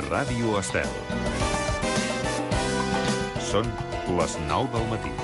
Ràdio Estel. Són les 9 del matí.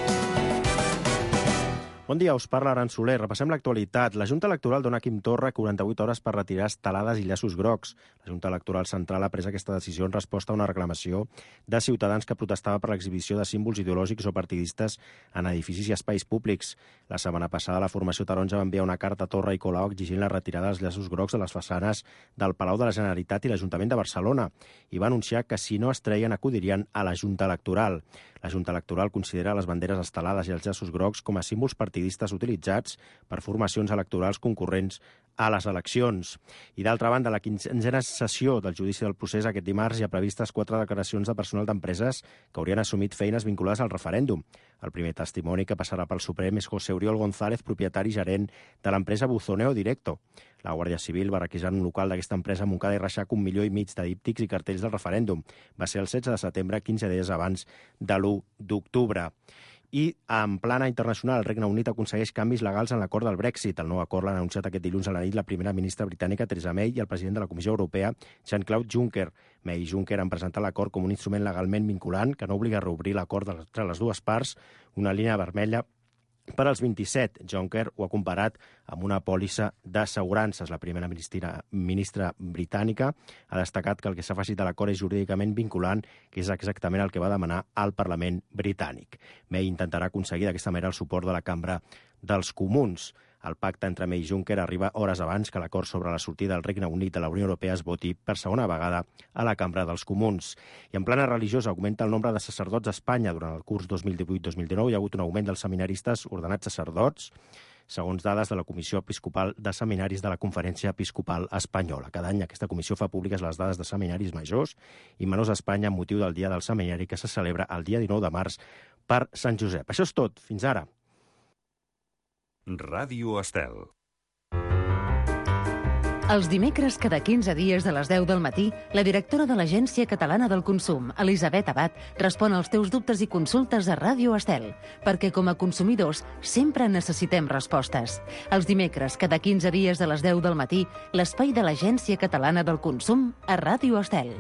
Bon dia, us parla Aran Soler. Repassem l'actualitat. La Junta Electoral dona a Quim Torra 48 hores per retirar estelades i llaços grocs. La Junta Electoral Central ha pres aquesta decisió en resposta a una reclamació de ciutadans que protestava per l'exhibició de símbols ideològics o partidistes en edificis i espais públics. La setmana passada, la formació taronja va enviar una carta a Torra i Colau exigint la retirada dels llaços grocs de les façanes del Palau de la Generalitat i l'Ajuntament de Barcelona i va anunciar que si no es treien acudirien a la Junta Electoral. La Junta Electoral considera les banderes estelades i els llaços grocs com a símbols partidistes utilitzats per formacions electorals concurrents a les eleccions. I d'altra banda, la 15a sessió del judici del procés aquest dimarts hi ha previstes 4 declaracions de personal d'empreses que haurien assumit feines vinculades al referèndum. El primer testimoni que passarà pel Suprem és José Oriol González, propietari i gerent de l'empresa Buzoneo Directo. La Guàrdia Civil va requisar un local d'aquesta empresa a Montcada i Reixac 1,5 milió de díptics i cartells del referèndum. Va ser el 16 de setembre, 15 dies abans de l'1 d'octubre. I en plana internacional, el Regne Unit aconsegueix canvis legals en l'acord del Brexit. El nou acord l'han anunciat aquest dilluns a la nit la primera ministra britànica Theresa May i el president de la Comissió Europea, Jean-Claude Juncker. May i Juncker han presentat l'acord com un instrument legalment vinculant que no obliga a reobrir l'acord entre les dues parts, una línia vermella per als 27. Juncker ho ha comparat amb una pòlissa d'assegurances. La primera ministra britànica ha destacat que el que s'ha afegit a l'acord és jurídicament vinculant, que és exactament el que va demanar al Parlament britànic. May intentarà aconseguir d'aquesta manera el suport de la Cambra dels Comuns. El pacte entre May i Juncker arriba hores abans que l'acord sobre la sortida del Regne Unit de la Unió Europea es voti per segona vegada a la Cambra dels Comuns. I en plana religiosa augmenta el nombre de sacerdots a Espanya. Durant el curs 2018-2019 hi ha hagut un augment dels seminaristes ordenats sacerdots, segons dades de la Comissió Episcopal de Seminaris de la Conferència Episcopal Espanyola. Cada any aquesta comissió fa públiques les dades de seminaris majors i menors a Espanya amb motiu del Dia del Seminari que se celebra el dia 19 de març per Sant Josep. Això és tot. Fins ara. Ràdio Estel. Els dimecres, cada 15 dies de les 10 del matí, la directora de l'Agència Catalana del Consum, Elisabet Abad, respon als teus dubtes i consultes a Ràdio Estel, perquè com a consumidors sempre necessitem respostes. Els dimecres, cada 15 dies de les 10 del matí, l'espai de l'Agència Catalana del Consum a Ràdio Estel.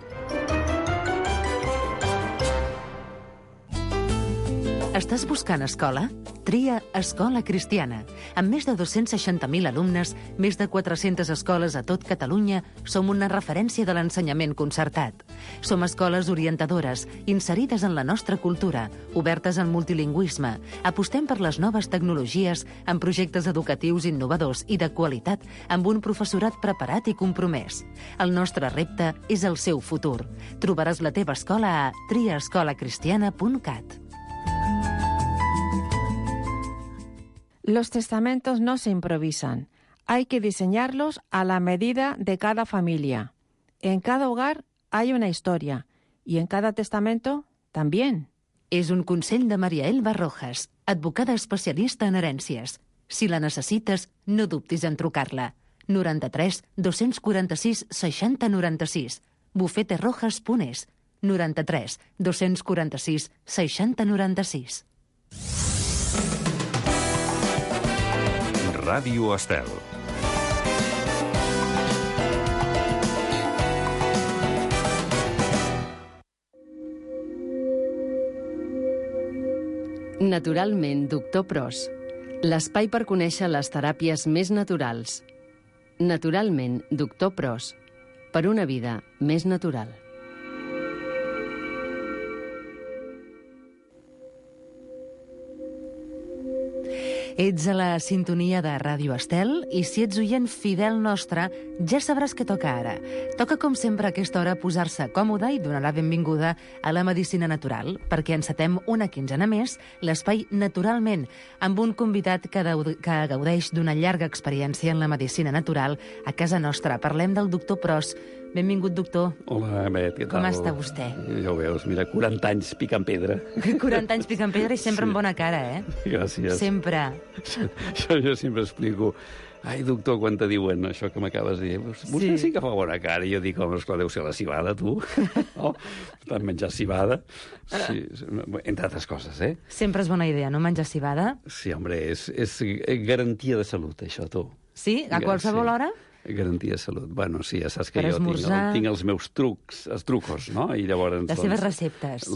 Estàs buscant escola? Tria Escola Cristiana. Amb més de 260.000 alumnes, més de 400 escoles a tot Catalunya, som una referència de l'ensenyament concertat. Som escoles orientadores, inserides en la nostra cultura, obertes al multilingüisme. Apostem per les noves tecnologies, amb projectes educatius innovadors i de qualitat, amb un professorat preparat i compromès. El nostre repte és el seu futur. Trobaràs la teva escola a triaescolacristiana.cat. Los testamentos no se improvisan. Hay que diseñarlos a la medida de cada familia. En cada hogar hay una historia y en cada testamento también. És un consell de Maria Elba Rojas, advocada especialista en herències. Si la necessites, no dubtis en trucar-la. 93 246 60 96. bufeterojas.es. 93 246 60 96. Ràdio Estel. Naturalment, Doctor Pros. L'espai per conèixer les teràpies més naturals. Naturalment, Doctor Pros. Per una vida més natural. Ets a la sintonia de Ràdio Estel i si ets oient fidel nostre, ja sabràs què toca ara. Toca, com sempre, a aquesta hora posar-se còmode i donar la benvinguda a la medicina natural, perquè encetem una quinzena més l'espai Naturalment, amb un convidat que gaudeix d'una llarga experiència en la medicina natural a casa nostra. Parlem del doctor Pros. Benvingut, doctor. Hola, Bet, què tal? Com està vostè? Ja ho veus, mira, 40 anys picant pedra. 40 anys picant pedra i sempre amb bona cara, eh? Gràcies. Sempre. Jo sempre explico... Ai, doctor, quan te diuen això que m'acabes de dir, vostè sí que fa bona cara. I jo dic, home, esclar, deu ser la cibada, tu. No? Tant menjar cibada. Sí, entre altres coses, eh? Sempre és bona idea, no menjar cibada? Sí, home, és garantia de salut, això, tu. Sí? A qualsevol hora? Garantia de salut. Bueno, sí, ja saps que Per jo esmorzar... tinc els meus trucos, no? I llavors... Les seves receptes.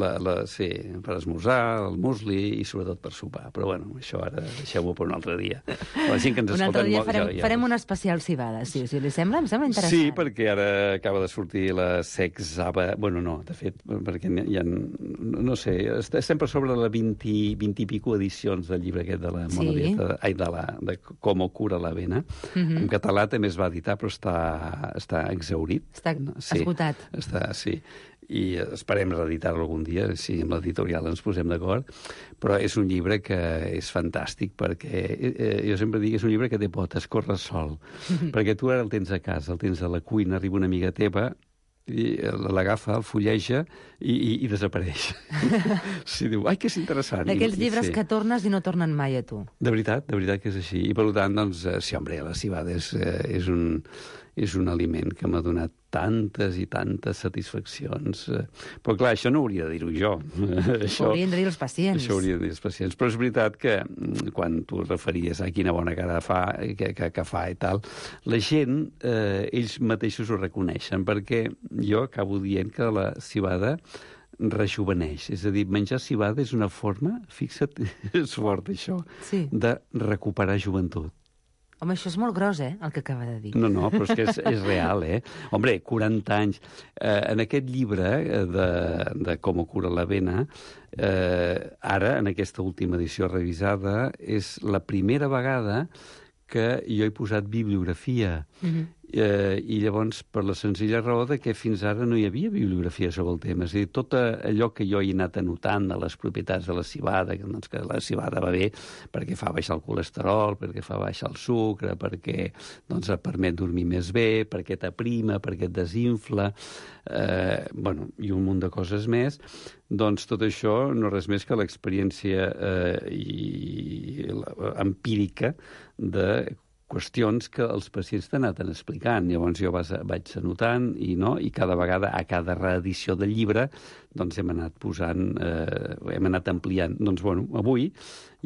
Sí, per esmorzar, el musli i sobretot per sopar. Però bueno, això ara deixeu-ho per un altre dia. La gent que ens un altre escolten... dia farem un especial cibada, si li sembla. Em sembla interessant. Sí, perquè ara acaba de sortir la Sexava... Bueno, no, de fet, perquè hi ha... No sé, estem per sobre de 20 i pico edicions del llibre aquest de la monodieta, de Com cura l'avena. En català també es va editar, però està exhaurit. Està esgotat. Sí. I esperem reeditar-lo algun dia, si amb l'editorial ens posem d'acord. Però és un llibre que és fantàstic, perquè jo sempre dic que és un llibre que té potes, corre sol. Perquè tu ara el tens a casa, el tens a la cuina, arriba una amiga teva, i l'agafa, el fulleja i desapareix. Sí, diu, ai, que és interessant. D'aquells llibres que tornes i no tornen mai a tu. De veritat que és així. I per tant, doncs, sí, home, la civada és un aliment que m'ha donat tantes i tantes satisfaccions. Però, clar, això no hauria de dir-ho jo. Això haurien de dir els pacients. Això haurien de dir els pacients. Però és veritat que quan tu referies a quina bona cara fa, que fa i tal, la gent, ells mateixos ho reconeixen, perquè jo acabo dient que la civada rejuveneix. És a dir, menjar civada és una forma, fixa't, és fort això, sí, de recuperar joventut. Home, això és molt gros, el que acaba de dir. No, però és que és real, Hombre, 40 anys. En aquest llibre de Com cura l'avena, ara, en aquesta última edició revisada, és la primera vegada que jo he posat bibliografia. I llavors, per la senzilla raó de que fins ara no hi havia bibliografia sobre el tema. És a dir, tot allò que jo he anat anotant de les propietats de la civada, doncs que la civada va bé perquè fa baixar el colesterol, perquè fa baixar el sucre, perquè doncs, et permet dormir més bé, perquè t'aprima, perquè et desinfla, i un munt de coses més. Doncs tot això no res més que l'experiència empírica de qüestions que els pacients t'han anat explicant. Llavors jo vaig anotant i cada vegada, a cada reedició del llibre, doncs hem anat posant, hem anat ampliant. Doncs, avui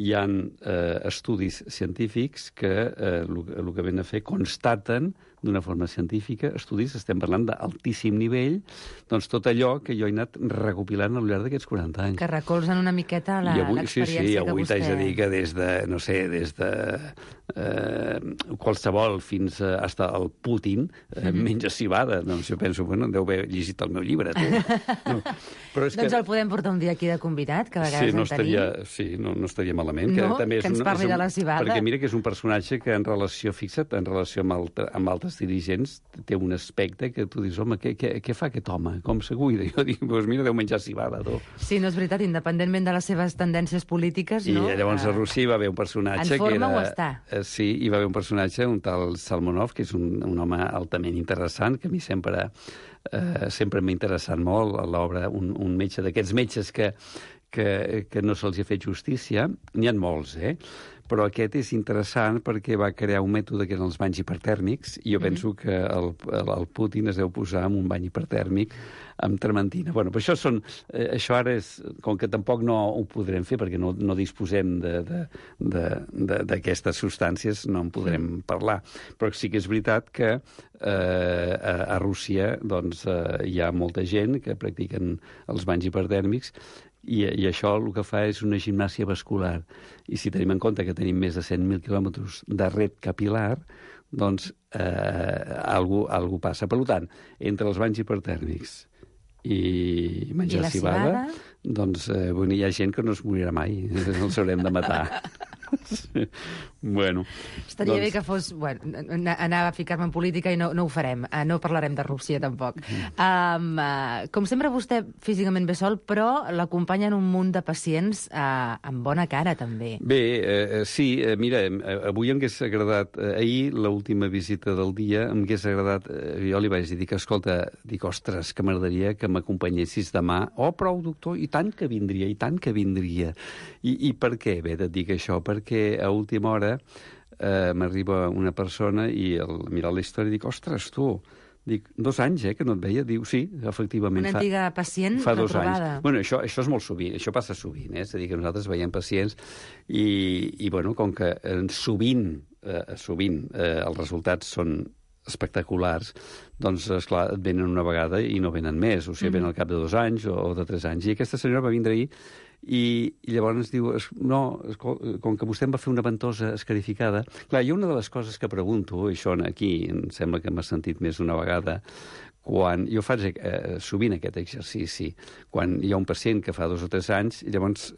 hi ha estudis científics que el que ven a fer constaten d'una forma científica, estudis, estem parlant d'altíssim nivell, doncs tot allò que jo he anat recopilant al llarg d'aquests 40 anys. Que recolzen una miqueta l'experiència que vostè... Avui t'haig de dir que des de qualsevol fins hasta el Putin menja civada. Doncs jo penso, deu haver llegit el meu llibre, tu. No. Però és doncs el podem portar un dia aquí de convidat, que a vegades en tenim. Sí, no estaria malament. No? Que ens parli de la civada. Perquè mira que és un personatge que en relació amb altres dirigents té un aspecte que tu dius, home, què fa aquest home? Com se cuida? Jo dic, mira, deu menjar civada, tu. Sí, no és veritat, independentment de les seves tendències polítiques, no? I llavors a Rússia hi va haver un personatge en forma o està? Sí, hi va haver un personatge, un tal Salmonov, que és un home altament interessant, que a mi sempre m'ha interessat molt a l'obra, un metge d'aquests metges que no se'ls ha fet justícia. N'hi ha molts, però aquest és interessant perquè va crear un mètode que eren els banys hipertèrmics, i jo penso que el Putin es deu posar en un bany hipertèrmic amb trementina. Però això ara és, com que tampoc no ho podrem fer perquè no disposem d'aquestes substàncies, no en podrem parlar. Però sí que és veritat que a Rússia doncs, hi ha molta gent que practiquen els banys hipertèrmics, i això el que fa és una gimnàsia vascular. I si tenim en compte que tenim més de 100.000 quilòmetres de ret capilar, doncs algú passa. Per tant, entre els banys hipertèrmics i menjar civada, doncs hi ha gent que no es morirà mai, els haurem de matar. Estaria bé que fos... anava a ficar-me en política i no ho farem. No parlarem de Rússia, tampoc. Com sempre, vostè físicament ve sol, però l'acompanyen un munt de pacients amb bona cara, també. Bé, sí, mira, avui em hagués agradat... Ahir, l'última visita del dia, em hagués agradat... Jo li vaig dir que, escolta, ostres, que m'agradaria que m'acompanyessis demà. Oh, prou, doctor, i tant que vindria, i tant que vindria. I per què? Bé, et dic això, perquè a última hora m'arriba una persona i al mirar la història dic, ostres, tu, dic, 2 anys, que no et veia. Diu, sí, efectivament. Una antiga pacient retrobada. Això és molt sovint, això passa sovint, és a dir, que nosaltres veiem pacients i com que sovint els resultats són espectaculars, doncs, esclar, et venen una vegada i no venen més, o sigui, venen al cap de 2 anys o de 3 anys. I aquesta senyora va vindre ahir i llavors diu, no, com que vostè em va fer una ventosa escarificada... Clar, hi ha una de les coses que pregunto, i això aquí em sembla que m'ha sentit més d'una vegada, quan jo faig sovint aquest exercici, quan hi ha un pacient que fa 2 o 3 anys, llavors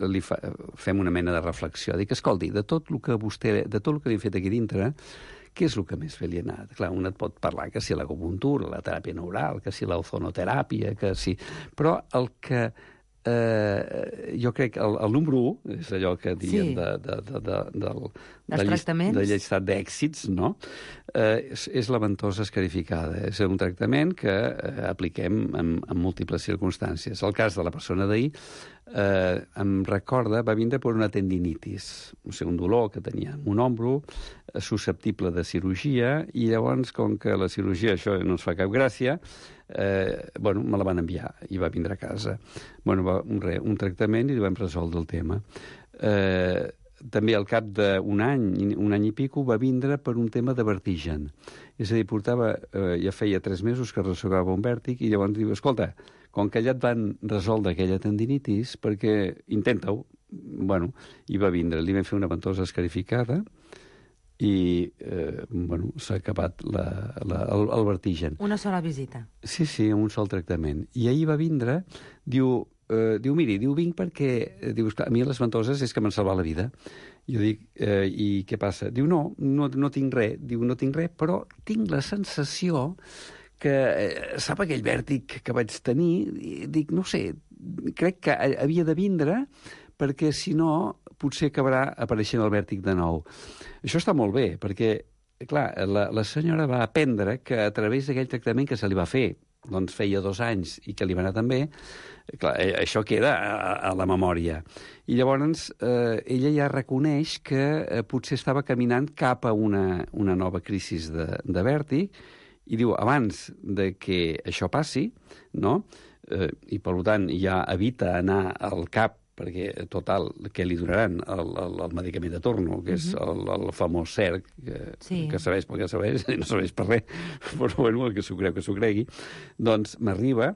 fem una mena de reflexió. Dic, escolti, de tot el que li he fet aquí dintre, què és el que més bé li ha anat? Clar, un et pot parlar que si l'acupuntura, la teràpia neural, que si l'ozonoteràpia, que si... Però el que... jo crec que el número 1, és allò que diem dels tractaments, de llistat d'èxits, no? És la ventosa escarificada. És un tractament que apliquem en múltiples circumstàncies. El cas de la persona d'ahir em recorda, va vindre per una tendinitis, o sigui, un dolor que tenia en un ombro, susceptible de cirurgia, i llavors, com que la cirurgia això no ens fa cap gràcia, me la van enviar i va vindre a casa. Un tractament i vam resoldre el tema. També al cap d'un any i pico, va vindre per un tema de vertigen. És a dir, ja feia 3 mesos que arrossegava un vèrtic i llavors diu, escolta, com que ja et van resoldre aquella tendinitis, perquè intenta-ho. I va vindre. Li vam fer una ventosa escarificada i s'ha acabat el vertigen. Una sola visita. Sí, un sol tractament. I ahir va vindre, diu, vinc perquè... Diu, a mi les ventoses és que m'han salvat la vida. Jo dic, i què passa? Diu, no tinc res. Diu, no tinc res, però tinc la sensació que sap aquell vèrtic que vaig tenir? Dic, no sé, crec que havia de vindre perquè, si no, potser acabarà apareixent el vèrtic de nou. Això està molt bé, perquè, clar, la senyora va aprendre que a través d'aquell tractament que se li va fer, doncs feia 2 anys i que li va anar tan bé, clar, això queda a la memòria. I llavors ella ja reconeix que potser estava caminant cap a una nova crisi de vèrtic i diu, abans de que això passi, no? I per tant ja evita anar al CAP perquè, total, què li donaran? El medicament de torno, que és el famós CERC, que serveix pel que serveix, i no serveix per res, però el que s'ho creu que s'ho cregui. Doncs m'arriba,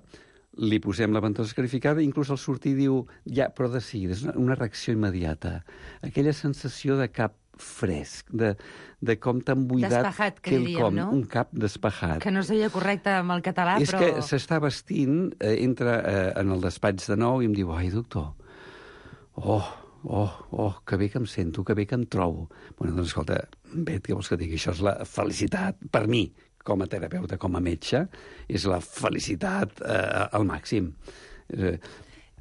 li posem la ventosa escarificada, inclús al sortir diu, ja, però de seguida, és una reacció immediata. Aquella sensació de cap fresc, de com t'han buidat despejat, que diríem, no? Un cap despejat. Que no seria correcte amb el català, però... És que s'està vestint, entra en el despatx de nou i em diu, ai, doctor, que bé que em sento, que bé que em trobo. Doncs, escolta, Bet, què vols que digui? Això és la felicitat, per mi, com a terapeuta, com a metge, és la felicitat al màxim.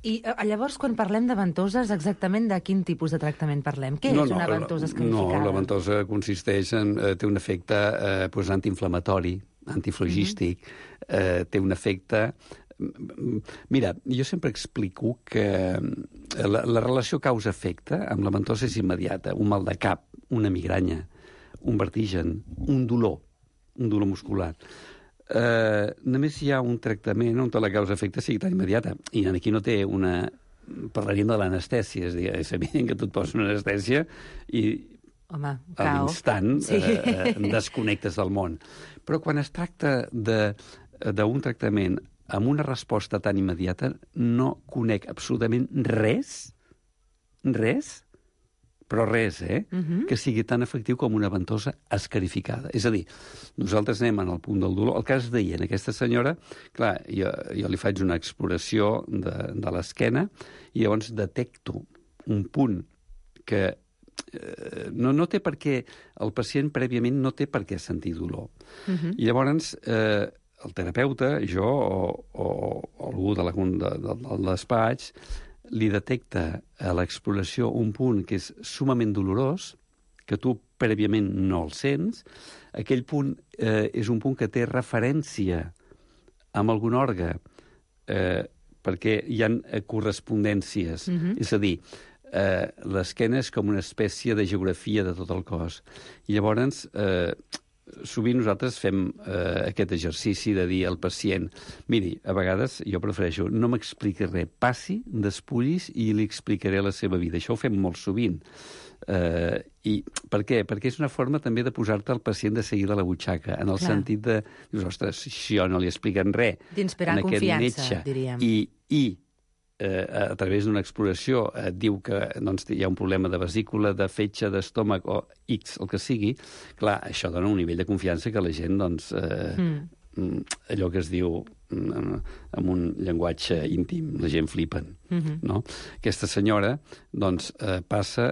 I llavors, quan parlem de ventoses, exactament de quin tipus de tractament parlem? Què és una ventosa escarificada? No, la ventosa consisteix en... té un efecte antiinflamatori, antiflogístic, té un efecte... Mira, jo sempre explico que la relació causa-efecte amb la ventosa és immediata. Un mal de cap, una migranya, un vertigen, un dolor muscular. Només hi ha un tractament on la causa-efecte sigui tan immediata. I aquí no té una... Parlaríem de l'anestèsia. És evident que tu et poses una anestèsia i a l'instant desconnectes del món. Però quan es tracta d'un tractament amb una resposta tan immediata, no conec absolutament res, però res, que sigui tan efectiu com una ventosa escarificada. És a dir, nosaltres anem en el punt del dolor. El cas d'ahir, en aquesta senyora, clar, jo li faig una exploració de l'esquena i llavors detecto un punt que no té per què... El pacient prèviament no té per què sentir dolor. I llavors... el terapeuta, jo o algú del despatx, li detecta a l'exploració un punt que és sumament dolorós, que tu prèviament no el sents. Aquell punt és un punt que té referència amb algun òrgan, perquè hi ha correspondències. És a dir, l'esquena és com una espècie de geografia de tot el cos. I llavors... sovint nosaltres fem aquest exercici de dir al pacient, miri, a vegades jo prefereixo no m'expliqui res, passi, despullis i li explicaré la seva vida. Això ho fem molt sovint. I per què? Perquè és una forma també de posar-te el pacient de seguida a la butxaca, en el sentit de, dius, ostres, si jo no li expliquen res d'inspirar confiança, diríem. I a través d'una exploració diu que doncs, hi ha un problema de vesícula, de fetge, d'estómac o X, el que sigui, clar, això dona un nivell de confiança que la gent, doncs, allò que es diu amb un llenguatge íntim, la gent flipen, no? Aquesta senyora, doncs, passa,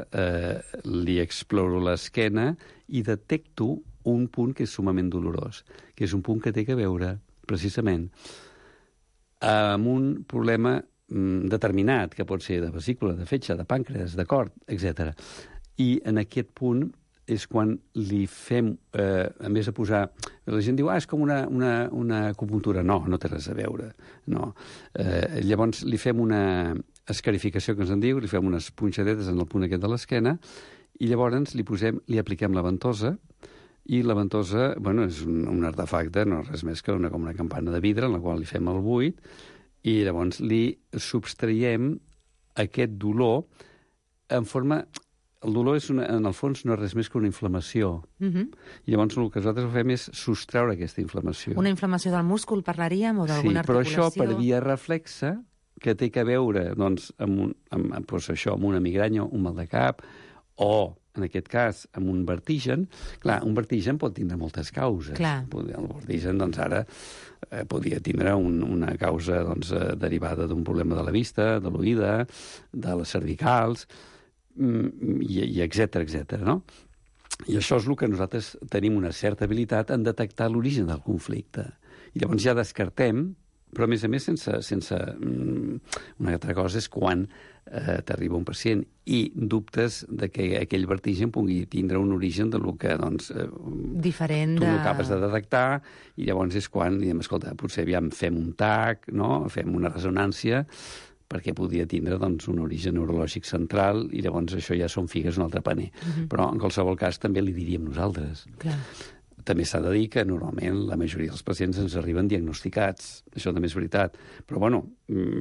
li exploro l'esquena i detecto un punt que és sumament dolorós, que és un punt que té a veure, precisament, amb un problema determinat, que pot ser de vesícula, de fetge, de pàncreas, de cor, etc. I en aquest punt és quan li fem, a més de posar... La gent diu, és com una acupuntura. No, no té res a veure. No. Llavors li fem una escarificació, que ens en diu, li fem unes punxadetes en el punt aquest de l'esquena, i llavors li apliquem la ventosa, i la ventosa, bueno, és un artefacte, no res més que com una campana de vidre en la qual li fem el buit, i llavors li subtraiem aquest dolor en forma... El dolor, en el fons, no és res més que una inflamació. I llavors el que nosaltres fem és sostreure aquesta inflamació. Una inflamació del múscul, parlaríem, o d'alguna articulació? Sí, però això per via reflexa, que té a veure doncs, amb una migranya, un mal de cap, o, en aquest cas, amb un vertigen. Clar, un vertigen pot tindre moltes causes. Clar. El vertigen, doncs, ara podria tindre una causa doncs, derivada d'un problema de la vista, de l'oïda, de les cervicals, i etc., no? I això és el que nosaltres tenim una certa habilitat en detectar l'origen del conflicte. I llavors ja descartem, però a més sense una altra cosa és quan t'arriba un pacient i dubtes de que aquell vertigen pugui tindre un origen de lo que, doncs, diferent tu no acabes de detectar, i llavors és quan diem, escolta, potser aviam fem un TAC, no? Fem una ressonància, perquè podria tindre doncs, un origen neurològic central, i llavors això ja són figues un altre paner. Però en qualsevol cas també li diríem nosaltres. Clar. També s'ha de dir que normalment la majoria dels pacients ens arriben diagnosticats. Això també és veritat. Però, bueno,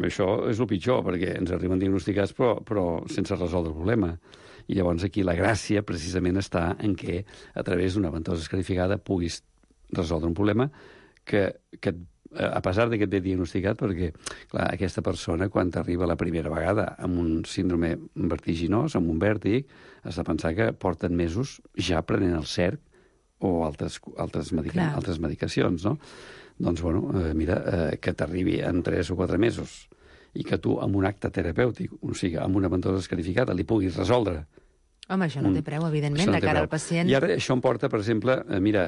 això és el pitjor, perquè ens arriben diagnosticats però sense resoldre el problema. I llavors aquí la gràcia precisament està en què a través d'una ventosa escarificada puguis resoldre un problema que a pesar de que et ve diagnosticat, perquè clar, aquesta persona, quan t'arriba la primera vegada amb un síndrome vertiginós, amb un vèrtic, has de pensar que porten mesos ja prenent el CERC o altres medicacions, no? Doncs, bueno, mira, que t'arribi en 3 o 4 mesos i que tu, amb un acte terapèutic, o sigui, amb una ventosa escarificada, li puguis resoldre. Home, això no té preu, evidentment, de cara al pacient. I ara això em porta, per exemple, mira,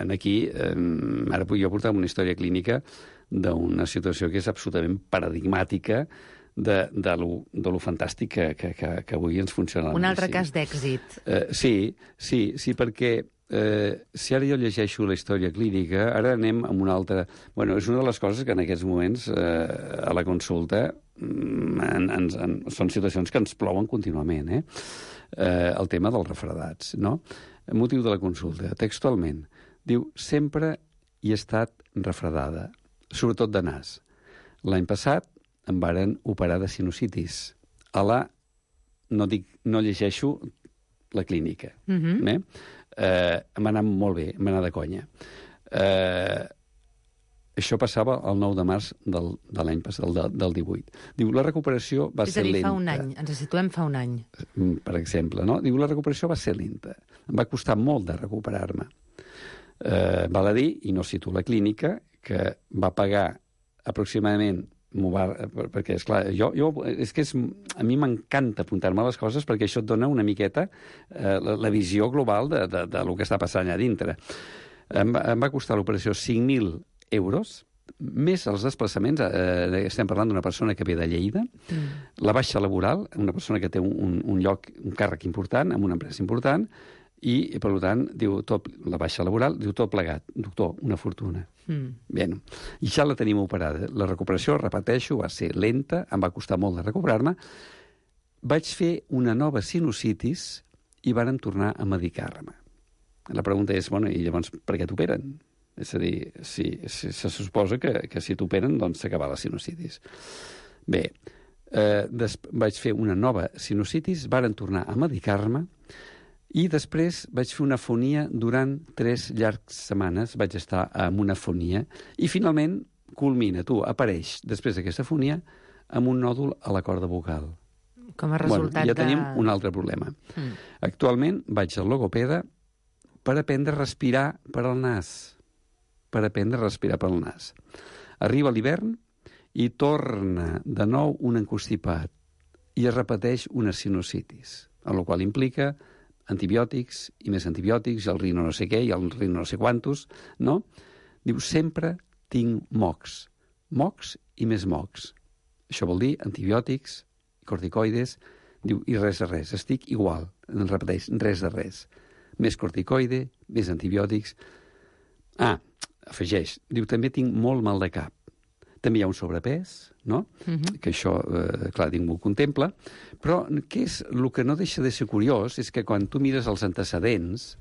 aquí, ara jo portava una història clínica d'una situació que és absolutament paradigmàtica de lo fantàstic que avui ens funciona la medicina. Un altre cas d'èxit. Sí, perquè si ara jo llegeixo la història clínica, ara anem amb una altra... Bueno, és una de les coses que en aquests moments a la consulta són situacions que ens plouen contínuament, el tema dels refredats, no? El motiu de la consulta, textualment, diu, sempre hi he estat refredada, sobretot de nas. L'any passat em varen operar de sinusitis. No llegeixo la clínica. Em va anar molt bé, em va anar de conya. Això passava el 9 de març de l'any passat, del 18. Diu, la recuperació va ser lenta. És a dir, fa un any, ens situem fa un any. Per exemple, no? Diu, la recuperació va ser lenta. Em va costar molt de recuperar-me. Val a dir, i no cito la clínica, que va pagar aproximadament, perquè, esclar, a mi m'encanta apuntar-me a les coses perquè això et dona una miqueta la visió global de lo que està passant allà dintre. Em va costar l'operació 5.000 euros, més els desplaçaments, estem parlant d'una persona que ve de Lleida, la baixa laboral, una persona que té un càrrec important, amb una empresa important, i, per tant, diu, la baixa laboral, diu tot plegat. Doctor, una fortuna. Bé, i ja la tenim operada. La recuperació, repeteixo, va ser lenta, em va costar molt de recuperar-me. Vaig fer una nova sinusitis i varen tornar a medicar-me. La pregunta és, bueno, i llavors per què t'operen? És a dir, se suposa que si t'operen, doncs s'acaba la sinusitis. Bé, Vaig fer una nova sinusitis, varen tornar a medicar-me, i després vaig fer una afonia durant 3 llargues setmanes, vaig estar amb una afonia, i finalment culmina, apareix, després d'aquesta afonia, amb un nòdul a la corda vocal. Com a resultat ja tenim un altre problema. Actualment vaig al logopeda per aprendre a respirar per al nas. Arriba l'hivern i torna de nou un encostipat i es repeteix una sinusitis, el qual implica antibiòtics i més antibiòtics, i el rino no sé què, i el rino no sé quantos, no? Diu, sempre tinc mocs i més mocs. Això vol dir antibiòtics, corticoides, diu, i res de res, estic igual, repeteix, res de res. Més corticoide, més antibiòtics. Afegeix, diu, també tinc molt mal de cap. També hi ha un sobrepès, no? Que això, clar, ningú ho contempla. Però què és el que no deixa de ser curiós és que quan tu mires els antecedents,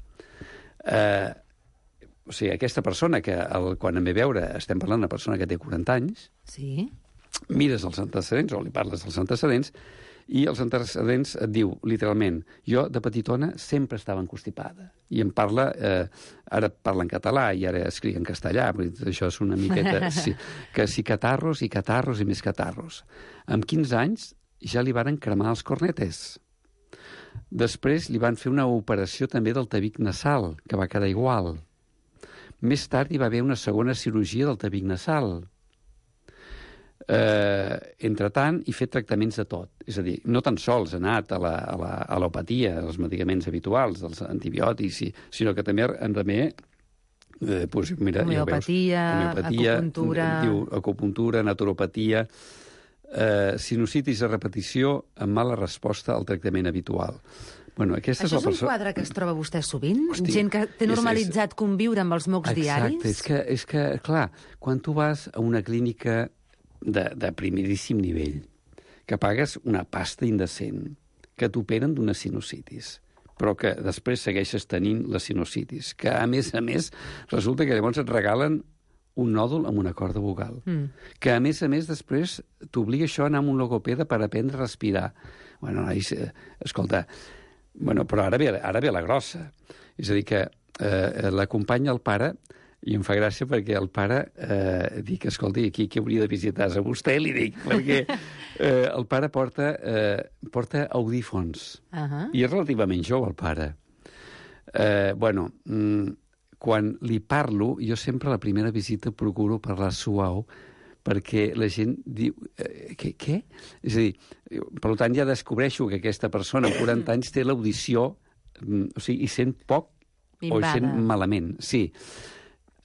o sigui, aquesta persona que quan em ve veure estem parlant d'una persona que té 40 anys, sí, mires els antecedents o li parles dels antecedents i els antecedents et diu, literalment, jo de petitona sempre estava encostipada. I em parla, ara parla en català i ara escric en castellà, això és una miqueta, que si catarros i catarros i més catarros. Amb 15 anys ja li varen cremar els cornetes. Després li van fer una operació també del tabic nasal, que va quedar igual. Més tard hi va haver una segona cirurgia del tabic nasal. Entretant, he fet tractaments de tot. És a dir, no tan sols he anat a l'alopatia, als medicaments habituals, als antibiòtics, sinó que també homeopatia, acupuntura... Acupuntura, naturopatia, sinusitis a repetició amb mala resposta al tractament habitual. Bueno, això és un quadre que es troba vostè sovint? Hosti, gent que té normalitzat conviure amb els mocs diaris? Exacte, és que, clar, quan tu vas a una clínica de primeríssim nivell, que pagues una pasta indecent, que t'operen d'una sinusitis, però que després segueixes tenint la sinusitis, que a més resulta que llavors et regalen un nòdul amb una corda vocal, que a més després t'obliga això a anar amb un logopeda per aprendre a respirar. Bueno, escolta, però ara ve la grossa. És a dir, que l'acompanya el pare, i em fa gràcia perquè el pare dic, escolta, aquí qui hauria de visitar a vostè, li dic, perquè el pare porta audífons, i és relativament jove el pare. Quan li parlo, jo sempre a la primera visita procuro parlar suau, perquè la gent diu... Què? És a dir, per tant, ja descobreixo que aquesta persona amb 40 anys té l'audició, o sigui, i sent poc o sent malament. Sí.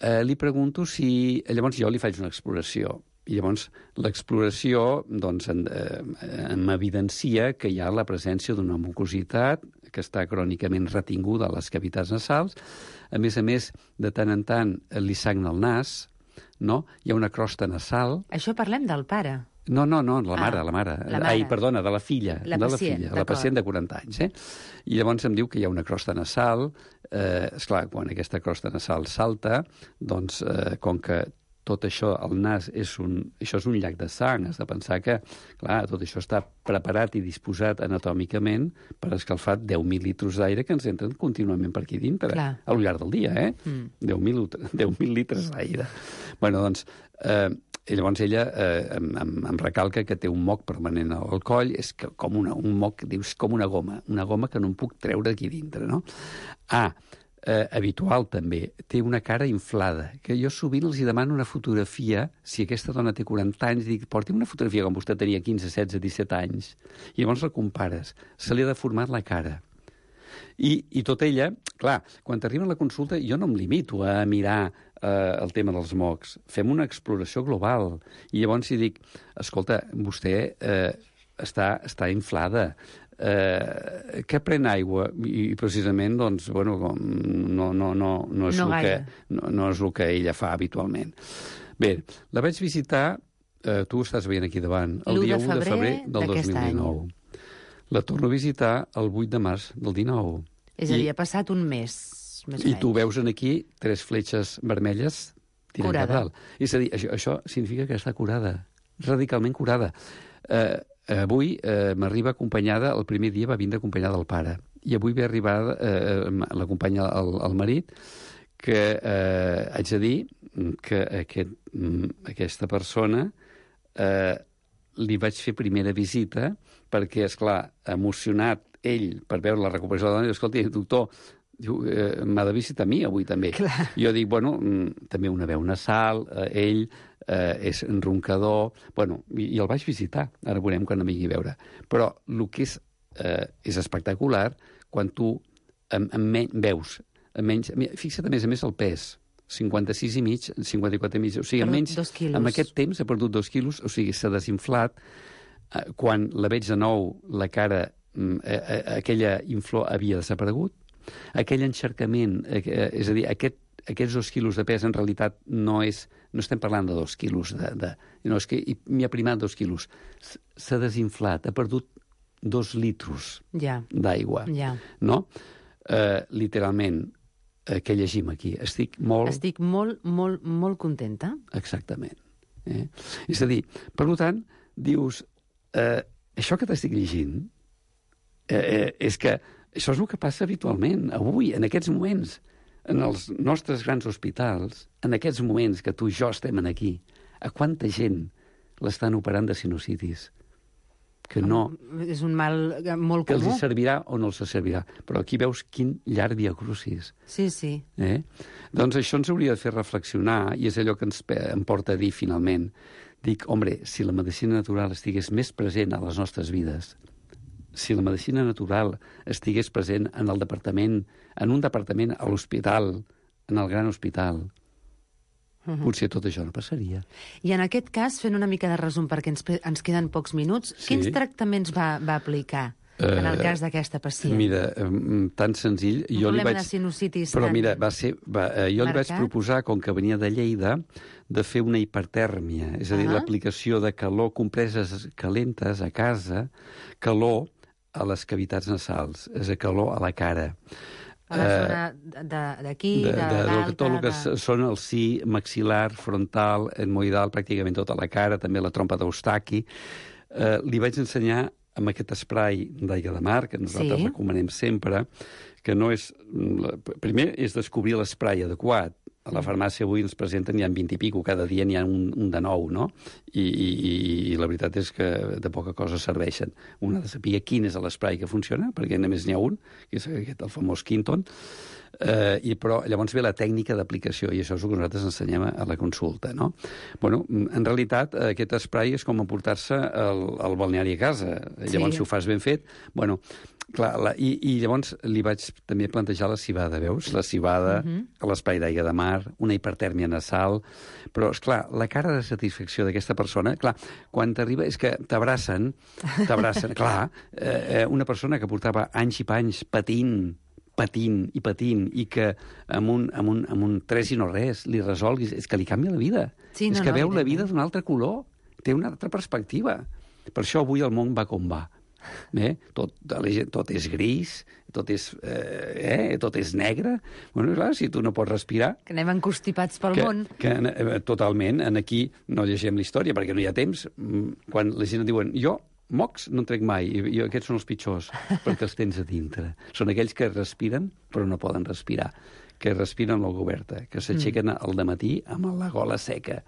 Li pregunto si... Llavors jo li faig una exploració. I llavors l'exploració m'evidencia que hi ha la presència d'una mucositat que està crònicament retinguda a les cavitats nasals. A més, de tant en tant li sagna el nas, no? Hi ha una crosta nasal. Això parlem del pare. No, la mare. Ai, perdona, de la filla. La pacient de 40 anys. I llavors em diu que hi ha una crosta nasal. Esclar, quan aquesta crosta nasal salta, doncs, com que tot això, el nas, això és un llac de sang. Has de pensar que, clar, tot això està preparat i disposat anatòmicament per escalfar 10.000 litres d'aire que ens entren contínuament per aquí dintre, al llarg del dia, 10.000 litres d'aire. Bueno, doncs... llavors ella em recalca que té un moc permanent al coll, és com un moc, dius, com una goma que no em puc treure aquí dintre, no? Habitual també, té una cara inflada, que jo sovint els demano una fotografia, si aquesta dona té 40 anys, dic, porti'm una fotografia com vostè tenia 15, 16, 17 anys, i llavors la compares, se li ha deformat la cara. I tot ella, clar, quan t'arriba a la consulta, jo no em limito a mirar el tema dels mocs. Fem una exploració global. I llavors hi dic, escolta, vostè està inflada, que pren aigua? I precisament, doncs, bueno, no és el que ella fa habitualment. Bé, la vaig visitar, tu ho estàs veient aquí davant, el dia 1 de febrer del 2019. La torno a visitar el 8 de març del 19. És a dir, ha passat un mes. I tu veus aquí 3 fletxes vermelles tirant cap dalt. És a dir, això significa que està curada, radicalment curada. avui m'arriba acompanyada, el primer dia va vindre acompanyada del pare, i avui ve arribar l'acompanya el marit, que haig de dir que aquesta persona li vaig fer primera visita perquè, esclar, emocionat ell per veure la recuperació de la dona, diu, escolta, doctor, m'ha de visitar a mi avui també. Clar. Jo dic, bueno, també una veu nasal, ell és roncador, bueno, i el vaig visitar, ara veurem quan em vingui a veure. Però el que és espectacular quan tu veus, fixa't a més el pes, 56 i mig, 54 i mig, o sigui, almenys en aquest temps ha perdut 2 quilos, o sigui, s'ha desinflat. Quan la veig de nou, la cara, aquella inflor havia desaparegut, aquell encharcament, és a dir, aquests 2 quilos de pes en realitat no estem parlant de 2 quilos, no, és que m'hi ha primat 2 quilos. S'ha desinflat, ha perdut 2 litros d'aigua, no? Literalment, què llegim aquí? Estic molt contenta. Exactament. És a dir, per tant, dius, això que t'estic llegint és que això és el que passa habitualment, avui, en aquests moments, en els nostres grans hospitals, en aquests moments que tu i jo estem aquí, a quanta gent l'estan operant de sinusitis? Que no... És un mal molt comú. Que els servirà o no els servirà. Però aquí veus quin llarg viacrucis. Sí. Doncs això ens hauria de fer reflexionar, i és allò que em porta a dir finalment. Dic, home, si la medicina natural estigués més present a les nostres vides, si la medicina natural estigués present en un departament a l'hospital, en el gran hospital, potser tot això no passaria. I en aquest cas, fent una mica de resum, perquè ens queden pocs minuts, quins tractaments va aplicar en el cas d'aquesta pacient? Mira, tan senzill... Un problema de sinusitis. Però mira, jo li vaig proposar, com que venia de Lleida, de fer una hipertèrmia, és a dir, l'aplicació de calor, compreses calentes a casa, calor a les cavitats nasals, és a dir, calor a la cara. A la zona d'aquí, de dalt... Tot el que són el si maxil·lar, frontal, etmoidal, pràcticament tota la cara, també la trompa d'Eustaqui. Li vaig ensenyar amb aquest esprai d'aigua de mar, que nosaltres recomanem sempre, que no és... Primer és descobrir l'esprai adequat. A la farmàcia avui ens presenten, n'hi ha 20 i pico, cada dia n'hi ha un de nou, no? I la veritat és que de poca cosa serveixen. Un ha de saber quin és l'esprai que funciona, perquè només n'hi ha un, que és aquest, el famós Quinton, però llavors ve la tècnica d'aplicació, i això és el que nosaltres ensenyem a la consulta, no? Bueno, en realitat, aquest esprai és com emportar-se al balneari a casa. Llavors, si ho fas ben fet, bueno... Clar, i llavors li vaig també plantejar la civada, veus? La civada, l'espai d'aigua de mar, una hipertèrmia nasal... Però, esclar, la cara de satisfacció d'aquesta persona, clar, quan t'arriba és que t'abracen, clar, una persona que portava anys i panys patint, i que amb un 3 i no res li resolguis, és que li canvia la vida. És que veu la vida d'un altre color, té una altra perspectiva. Per això avui el món va com va. Tot és gris, tot és negre. Bueno, clar, si tu no pots respirar... Que anem encostipats pel món. Totalment. Aquí no llegim la història perquè no hi ha temps. Quan la gent diuen, jo mocs no en trec mai, i aquests són els pitjors, perquè els tens a dintre. Són aquells que respiren però no poden respirar, que respiren amb la boca oberta, que s'aixequen al dematí amb la gola seca.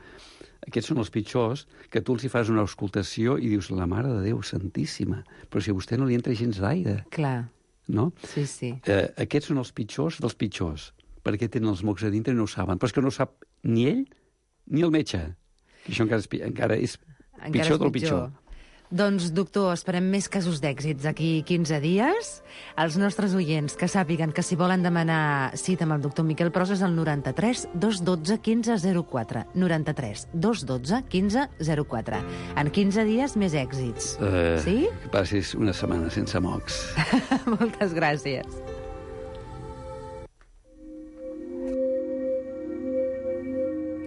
Aquests són els pitjors, que tu els hi fas una auscultació i dius, la Mare de Déu Santíssima, però si a vostè no li entra gens d'aire. Clar. No? Sí. Aquests són els pitjors dels pitjors, perquè tenen els mocs a dintre i no ho saben. Però és que no ho sap ni ell ni el metge. Això encara és pitjor del pitjor. Doncs, doctor, esperem més casos d'èxits d'aquí 15 dies. Els nostres oients que sàpiguen que si volen demanar cita amb el doctor Miquel Pros és el 93 212 15 04. 93 212 15 04. En 15 dies més èxits. Sí? Que passis una setmana sense mocs. Moltes gràcies.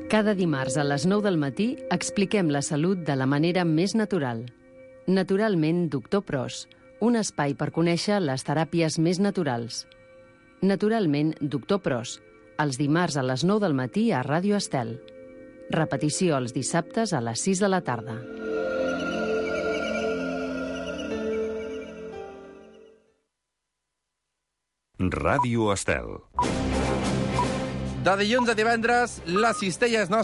Cada dimarts a les 9 del matí expliquem la salut de la manera més natural. Naturalment, doctor Pros, un espai per conèixer les teràpies més naturals. Naturalment, doctor Pros, els dimarts a les 9 del matí a Ràdio Estel. Repetició els dissabtes a les 6 de la tarda. Ràdio Estel. De dilluns a divendres, la cistella és nostra.